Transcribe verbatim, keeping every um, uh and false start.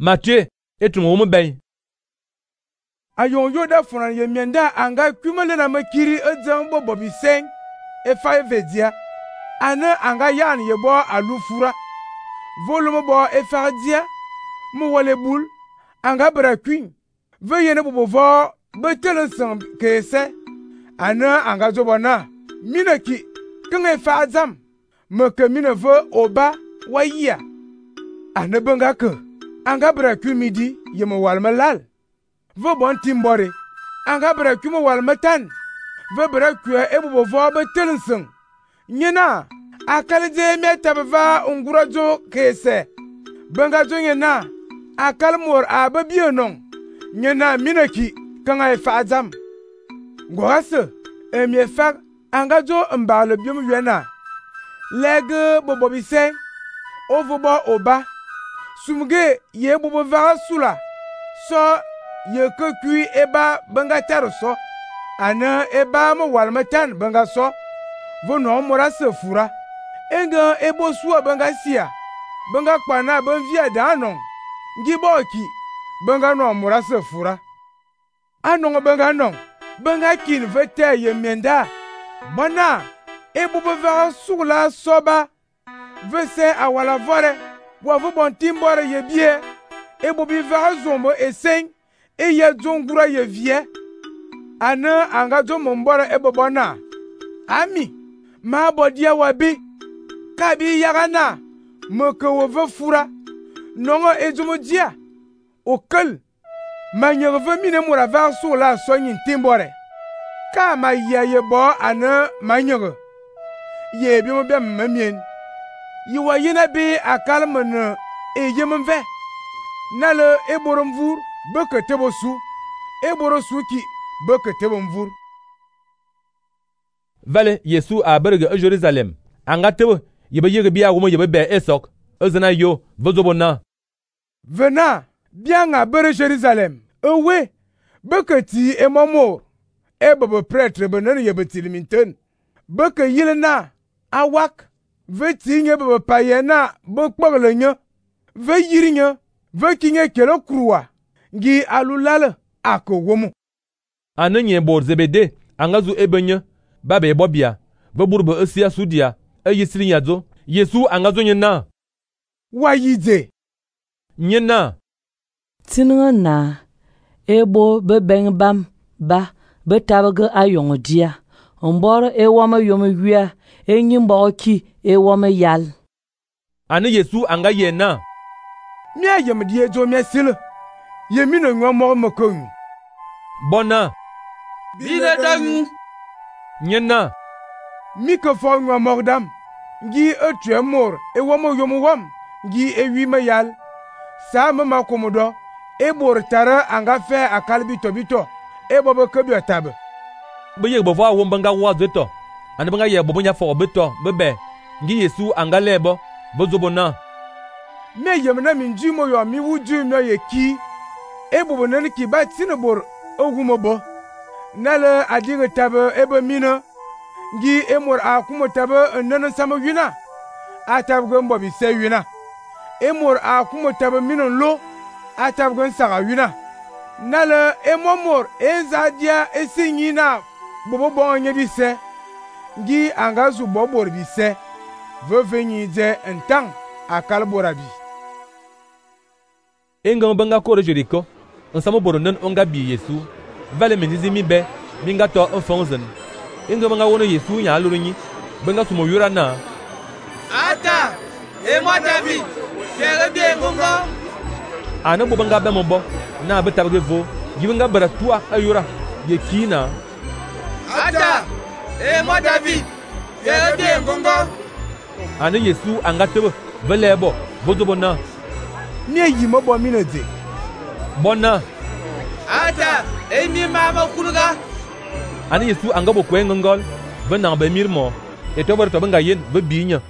Matthieu etum wo ben. Ayon yo da furan ye mienda anga kumele na makiri edzan bo bobi seng e fa vedia. Ana anga yan ye bo alufura. Volume bo e fardia mu wole bul anga bra queen. Ve yene bo vo betelen sam kese. Ana anga zobona minaki kenge fa azam me ke mine ve oba waya. Ana benga ke anga bra queen midi ye mo wal malal. Ve bon timbore anga bra queen mo wal matan. Ve bra queen e bo vo betelen sam. Nyena akalje metabva ungurajo kese. Benga jo nyena akal mor ababienon. Nyena minaki kanga fa azam. Ngwase emie fak anga jo mbale biom yena. Lege bobo bise ovobo oba. Sumge ye bobo vara sula. So ye ke kui eba benga taroso. Ana eba mo walmatan benga so. Vono mora se fura. Enga ebo suwa benga sia. Benga kwana ben via danon. Ngiboki benga no mora se fura. Anon benga non. Benga kin vete ye mienda. Bana ebo bevara sula soba. Vese awala vore. Wavu bon timbore ye bie. Ebo bivara zombo eseng. E ye zongura ye vie. Ana anga zo mbore ebo bona. Ami. Ma bodia wabi. Kabi yagana. Meke wove fura. Nongo ezumo dia. Okul. Ma nyerve mine mura var sula sonyin timbore. Ka ma ya ye bo ana ma nyere. Ye bi mo bem mamien. Yi wa yina bi akal mene e yem ve. Nale eborom vur beke tebo su. Eboro suki beke tebo mvur. Vale Yesu a berge e Jerusalem. Anga tebo yebe yege biya womo yebe be esok. Ezana yo vozobona. Vena bien a bere Jerusalem. Ewe beke ti e momor. E bebe prêtre benen yebe tiliminten. Beke yilena awak. Ve ti nye bebe payena bokpogele nye. Ve yiri nye. Ve kinye kelo kruwa. Ngi alulale ako womo. Anenye bor Zebede angazu ebenye. Babe bobia. Ve burbe esia sudia. E yisiri nyazo. Yesu angazo nyena. Wayide. Nyena. Tinga na. Ebo be beng bam ba. Be tabage ayong dia. Mboro e wama yome wia. E nyimbo ki e wame yal. Ane Yesu anga yena. Mia yem die jo mesile. Yemino nwa mo mokon. Bona. Bile dangu. Nyena. Mike fo nwa mordam. Ngi etre mor e wamo yomo wam. Ngi e wi mayal. Sa mama komodo. E bor tara anga fe akalbi tobito. E bobo kebyo tabe. Be ye bovo awon banga wa zeto. Ane banga ye bobo nya fo beto bebe. Ngi Yesu anga lebo bozobona. Me yemna minji mo yo mi wuju no ye ki. E bobo nan ki ba tinobor ogumobo. Nale adige tabe ebe mina. Ngi emor akumo tabe nan sama wina. Atab gombo bi se wina. Emor akumo tabe minon lo. Atab gon saga wina. Nale emomor ezadia esinyina bobo bonye bise. Ngi angazu bobor bise. Vevenyi de entang akal borabi. Enga banga kore Jericho. Nsamo boronen onga bi Yesu. Vale mendizi mi be. Minga to enfonzen. Enga banga wono Yesu nya alurunyi. Benga sumo yura na. Ata. E moi David. Fere bien ngongo. Ana bo banga be mombo. Na be tabge vo. Gibenga bara tua ayura. Ye kina. Ata. E moi David. Fere bien ngongo. Ana Yesu anga tebe. Velebo. Vozobona. Nye yimo bo minede. Bona. Ata. E mi mama kuluga. Ana Yesu anga bo kwen ngol. Benang be mirmo. Eto bar to benga yen be binya.